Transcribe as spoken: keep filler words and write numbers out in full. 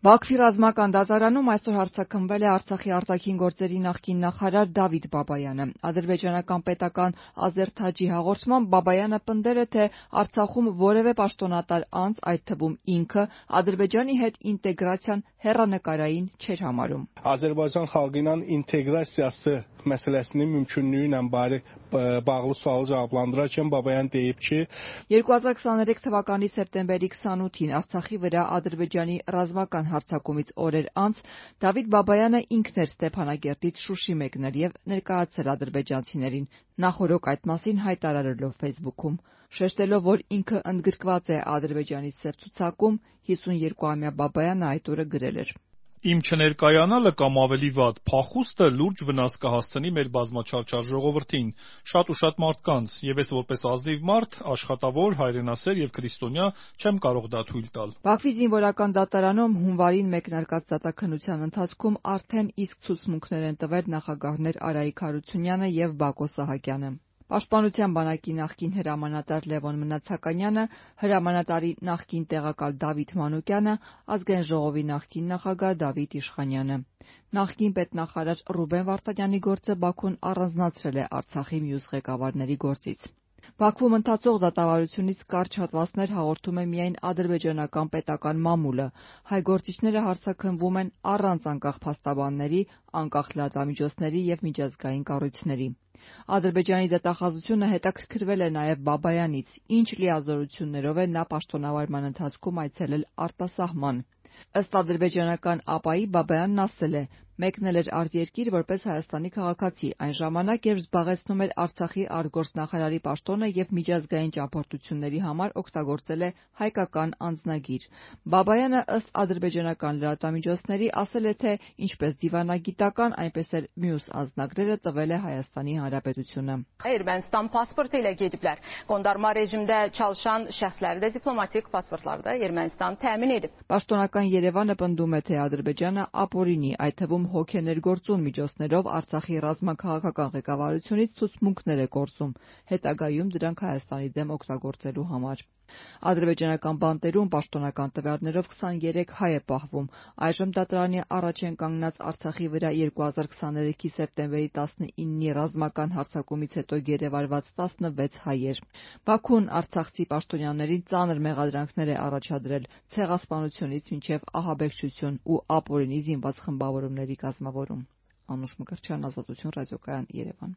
Բաքվի ռազմական դատարանում այսօր հարձակվել է Արցախի արտաքին գործերի նախկին նախարար Դավիթ Բաբայանը։ Ադրբեջանական պետական Ազերթաջի հաղորդմամբ Բաբայանը պնդել է, թե Արցախում որևէ պաշտոնատար անձ, այդ թվում ինքը, Ադրբեջանի հետ ինտեգրացիան հեռանկարային չէր համարում։ Azərbaycan xalqının inteqrasiyası məsələsinin mümkünlüyü ilə bağlı sualı cavablandırarkən Babayan deyib ki, երկու հազար քսաներեք թվականի սեպտեմբերի քսանութին Արցախի վրա Ադրբեջանի ռազմական հարձակումից օրեր անց Դավիթ Բաբայանը ինքն էր Ստեփանագերտից Շուշի մեկնել եւ ներկայացել ադրբեջանցիներին, նախօրոք այդ մասին հայտարարելով Facebook-ում, շեշտելով, որ ինքը ընդգրկված է Ադրբեջանի սև ցուցակում, հիսունյոթամյա Բաբայանը այդ օրը գրել էր. Իմ չներկայանալը կամ ավելի վատ փախուստը լուրջ վնաս կհասցնի մեր բազմաչարչար ժողովրդին, շատ ու շատ մարդկանց, եւ ես որպես ազնիվ մարդ, աշխատավոր, հայրենասեր եւ քրիստոնյա չեմ կարող դա թույլ տալ։ Բաքվի զինվորական դատարանում հունվարին մեկնարկած դատաքննության ընթացքում արդեն իսկ ցուցմունքներ են տվել նախագահներ Արայիկ Հարությունյանը եւ Բակո Սահակյանը։ Պաշտպանության բանակի նախկին հրամանատար Լևոն Մնացականյանը, հրամանատարի նախկին տեղակալ Դավիթ Մանուկյանը, Ազգային ժողովի նախկին նախագահ Դավիթ Իշխանյանը։ Նախկին պետնախարար Ռուբեն Վարդանյանի գործը Բաքուն առանձնացրել է Արցախի մյուս ղեկավարների գործից։ Բաքվում ընթացող դատավարությունից կարճ հատվածներ հաղորդում է միայն ադրբեջանական պետական մամուլը։ Հայ գործիչները հարձակվում են առանց անկախ փաստաբանների, անկախ լրատվամիջոցների եւ միջազգային կառույցների։ Ադրբեջանի դատախազությունը հետաքրքրվել է նաև Բաբայանից, ինչ լիազորություններով է նա պաշտոնավարման ընթացքում այցելել արտասահման։ Ըստ ադրբեջանական ԱՊԱ-ի Բաբայանն ասել է. մեկնել էր արտերկիր որպես Հայաստանի քաղաքացի, այն ժամանակ, երբ զբաղեցնում էր Արցախի արտգործնախարարի պաշտոնը եւ միջազգային ճամփորդությունների համար օգտագործել է հայկական անձնագիր։ Բաբայանը ըստ ադրբեջանական լրատվամիջոցների ասել է, թե ինչպես դիվանագիտական, այնպես էլ մյուս անձնագրերը տվել է Հայաստանի Հանրապետությունը։ Ermənistan pasportu ilə gediblər. Qondarma rejimdə çalışan şəxsləri də diplomatik pasportları da Ermənistan təmin edib. Պաշտոնական Երևանը պնդում է, թե Ադրբեջանը ապօրինի, այդ թվում հոգեներգործուն միջոցներով Արցախի ռազմաքաղաքական ղեկավարությունից ցուցմունքներ է կորցում, հետագայում դրանք Հայաստանի դեմ օգտագործելու համար։ Ադրբեջանական բանտերում պաշտոնական տվյալներով քսաներեք հայ է պահվում։ Այժմ դատարանի առաջ են կանգնած Արցախի վրա երկու հազար քսաներեքի սեպտեմբերի տասնինի ռազմական հարձակումից հետո գերեվարված տասնվեց հայեր։ Բաքուն արցախցի պաշտոնյաներին ծանր մեղադրանքներ է առաջադրել ցեղասպանությունից մինչև ահաբեկչություն ու ապօրինի զինված խմբավորումների կազմավորում։ Անուշ Մկրտչյան, Ազատություն ռադիոկայան, Երևան։